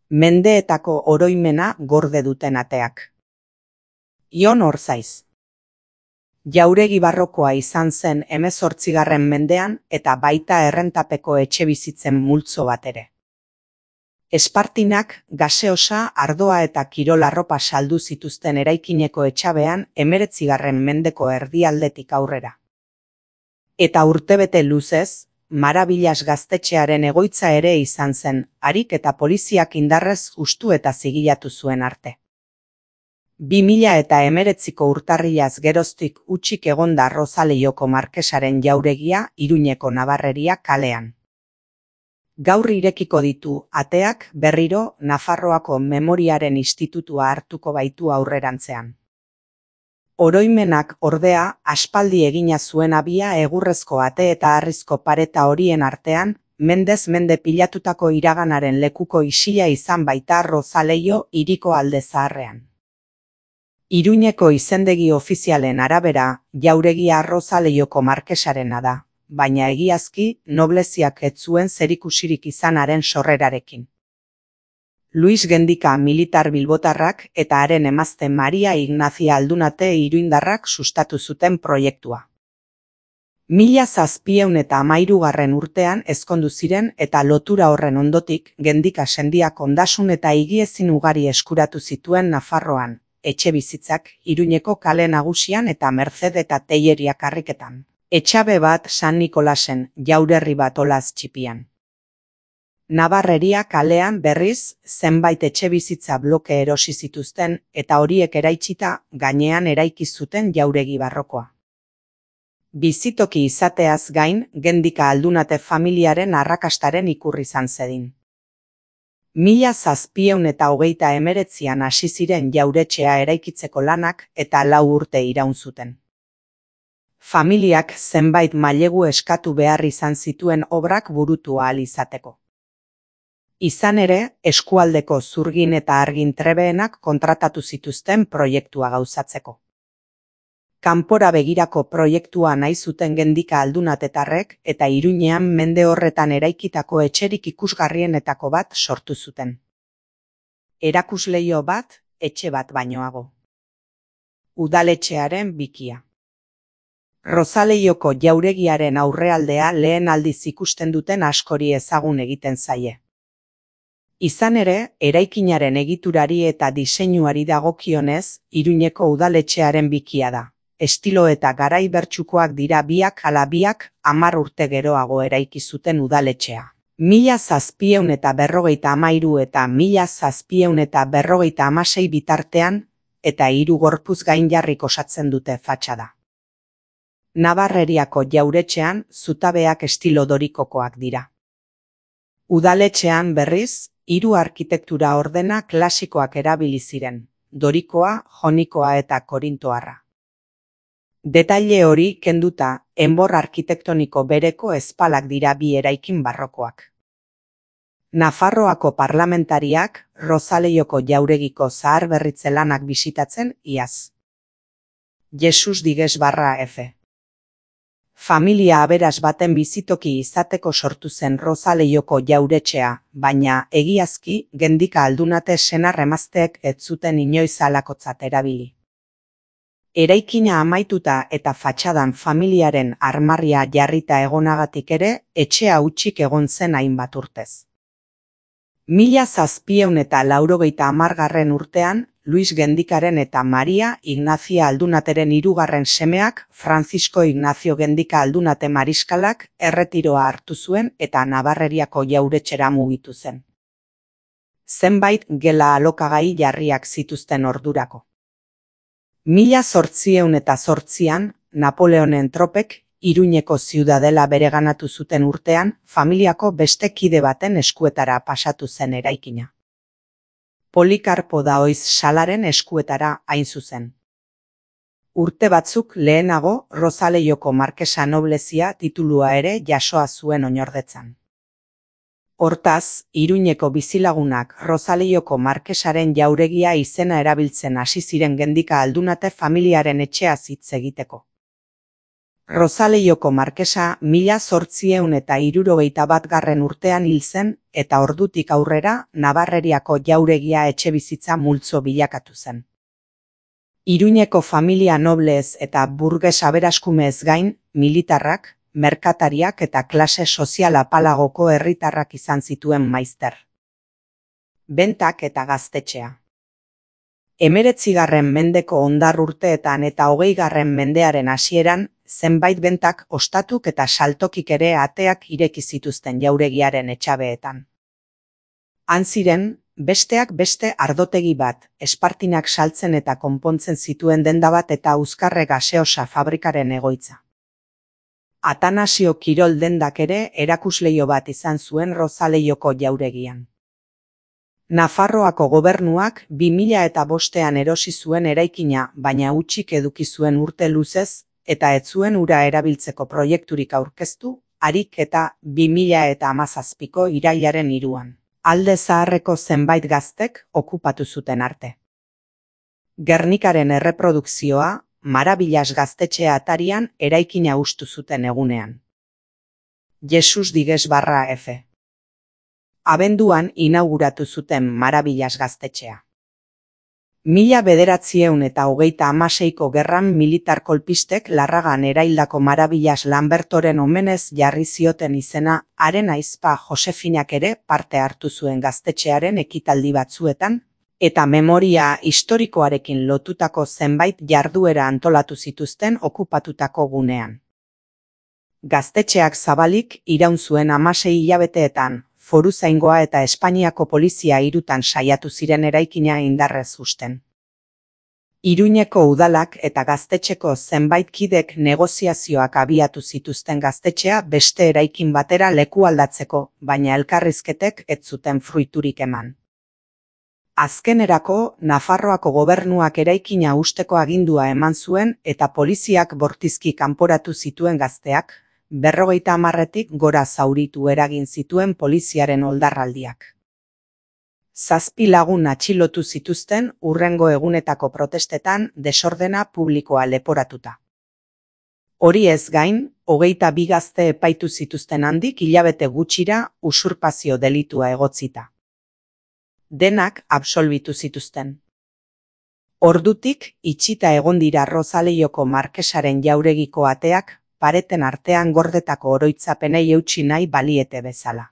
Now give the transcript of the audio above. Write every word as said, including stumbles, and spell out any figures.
mendeetako oroimena gorde duten ateak. Ion Orzaiz. Jauregi barrokoa izan zen hemezortzigarren mendean eta baita errentapeko etxebizitzen multzo bat ere. Espartinak gaseosa, ardoa eta kirol arropa saldu zituzten eraikineko etxabean hemeretzigarren mendeko erdialdetik aurrera. Eta urtebete luzez, Marabillas gaztetxearen egoitza ere izan zen, harik eta poliziak indarrez hustu eta zigilatu zuen arte. Bi mila eta hemeretziko urtarrilaz geroztik hutsik egonda Rozaleioko markesaren jauregia Iruñeko Nabarreria kalean. Gaur irekiko ditu ateak berriro Nafarroako Memoriaren Institutua hartuko baitu aurrerantzean. Oroimenak ordea aspaldi egina zuen abia egurrezko ate eta harrizko pareta horien artean, mendez mende pilatutako iraganaren lekuko isila izan baita Rozaleio hiriko alde zaharrean. Iruñeko izendegi ofizialen arabera, jauregia Rozaleioko markesarena da, baina egiazki nobleziak ez zuen zerikusirik izanaren sorrerarekin. Luis Gendika militar bilbotarrak eta haren emazte Maria Ignazia Aldunate iruindarrak sustatu zuten proiektua. Mila zazpiehun eta hamairugarren urtean ezkondu ziren eta lotura horren ondotik Gendika sendiak ondasun eta higiezin ugari eskuratu zituen Nafarroan, etxebizitzak Iruñeko kale nagusian eta Merced eta Teilleria karriketan. Etxabe bat San Nikolasen, jaurerri bat olaz txipian. Nabarreria kalean berriz zenbait etxebizitza bloke erosi zituzten eta horiek eraitsita gainean eraiki zuten jauregi barrokoa. Bizitoki izateaz gain, Gendika Aldunate familiaren arrakastaren ikurri izan zedin. Mila zazpiehun eta hogeita hemeretzian hasi ziren jauretxea eraikitzeko lanak eta lau urte iraun zuten. Familiak zenbait mailegu eskatu behar izan zituen obrak burutu ahal izateko. Izan ere, eskualdeko zurgin eta argin trebeenak kontratatu zituzten proiektua gauzatzeko. Kanpora begirako proiektua nahi zuten Gendika Aldunatetarrek eta Iruñean mende horretan eraikitako etxerik ikusgarrienetako bat sortu zuten. Erakusleio bat, etxe bat bainoago. Udaletxearen bikia. Rozaleioko jauregiaren aurrealdea lehen aldiz ikusten duten askori ezagun egiten zaie. Izan ere, eraikinaren egiturari eta diseinuari dagokionez, Iruñeko udaletxearen bikia da. Estilo eta garai bertsukoak dira biak ala biak hamar urte geroago eraiki zuten udaletxea. Mila zazpiehun eta berrogeita hamairu eta mila zazpiehun eta berrogeita hamasei bitartean, eta hiru gorpuz gainjarrik osatzen dute fatxada. Nabarreriako jauretxean zutabeak estilo dorikokoak dira. Udaletxean berriz, hiru arkitektura ordena klasikoak erabili ziren, dorikoa, jonikoa eta korintoarra. Detaile hori kenduta, enbor arkitektoniko bereko ezpalak dira bi eraikin barrokoak. Nafarroako parlamentariak Rozaleioko jauregiko zaharberritze lanak bisitatzen iaz. Jesus Diges barra F. Familia aberas baten bizitoki izateko sortu zen Rozaleioko jauretxea, baina egiazki Gendika Aldunate senar emazteek ez zuten inoiz halakotzat erabili. Eraikina amaituta eta fatxadan familiaren armarria jarrita egonagatik ere, etxea hutsik egon zen hainbat urtez. Mila zazpiehun eta laurogeita hamargarren urtean, Luis Gendikaren eta Maria Ignazia Aldunateren hirugarren semeak Francisco Ignacio Gendika Aldunate mariskalak erretiroa hartu zuen eta Nabarreriako jauretxera mugitu zen. Zenbait gela alokagai jarriak zituzten ordurako. Mila zortziehun eta zortzian, Napoleonen tropek Iruñeko ziudadela bereganatu zuten urtean, familiako beste kide baten eskuetara pasatu zen eraikina. Polikarpo Daoiz Salaren eskuetara hain zuzen. Urte batzuk lehenago Rozaleioko markesa noblezia titulua ere jasoa zuen oinordetzan. Hortaz, Iruñeko bizilagunak Rozaleioko markesaren jauregia izena erabiltzen hasi ziren Gendika Aldunate familiaren etxeaz hitz egiteko. Rosaleioko markesa mila zortziehun eta hirurogeita batgarren urtean hil zen eta ordutik aurrera Nabarreriako jauregia etxebizitza multzo bilakatu zen. Iruñeko familia noblez eta burges aberaskumeez gain, militarrak, merkatariak eta klase sozial apalagoko herritarrak izan zituen maizter. Bentak eta gaztetxea. Hemeretzigarren mendeko hondar urteetan eta hogeigarren mendearen hasieran, zenbait bentak ostatuk eta saltokik ere ateak ireki zituzten jauregiaren etxabeetan. Han ziren, besteak beste ardotegi bat, espartinak saltzen eta konpontzen zituen denda bat eta Euskarre gaseosa fabrikaren egoitza. Atanasio Kirol dendak ere erakusleio bat izan zuen Rosaleioko jauregian. Nafarroako gobernuak bi mila eta bostean erosi zuen eraikina, baina hutsik eduki zuen urte luzez, eta ez zuen ura erabiltzeko proiekturik aurkeztu, harik eta bi mila eta hamazazpiko irailaren hiruan. Alde zaharreko zenbait gaztek okupatu zuten arte. Gernikaren erreprodukzioa, Marabillas gaztetxea atarian eraikina hustu zuten egunean. Jesus Digues barra F. Abenduan inauguratu zuten Marabillas gaztetxea. Mila bederatzieun eta hogeita hamaseiko gerran militar kolpistek Larragan eraildako Marabillas Lambertoren omenez jarri zioten izena, haren aizpa Josefinak ere parte hartu zuen gaztetxearen ekitaldi batzuetan, eta memoria historikoarekin lotutako zenbait jarduera antolatu zituzten okupatutako gunean. Gaztetxeak zabalik iraun zuen hamasei hilabeteetan, Foruzaingoa eta Espainiako polizia hirutan saiatu ziren eraikina indarrez husten. Iruñeko udalak eta gaztetxeko zenbait kidek negoziazioak abiatu zituzten gaztetxea beste eraikin batera leku aldatzeko, baina elkarrizketek ez zuten fruiturik eman. Azkenerako, Nafarroako gobernuak eraikina husteko agindua eman zuen eta poliziak bortizki kanporatu zituen gazteak, berrogeita hamarretik gora zauritu eragin zituen poliziaren oldarraldiak. Zazpi lagun atxilotu zituzten hurrengo egunetako protestetan desordena publikoa leporatuta. Hori ez gain, hogeita bi gazte epaitu zituzten handik hilabete gutxira usurpazio delitua egotzita. Denak absolbitu zituzten. Ordutik, itxita egon dira Rosaleioko markesaren jauregiko ateak, pareten artean gordetako oroitzapenei eutsi nahi baliete bezala.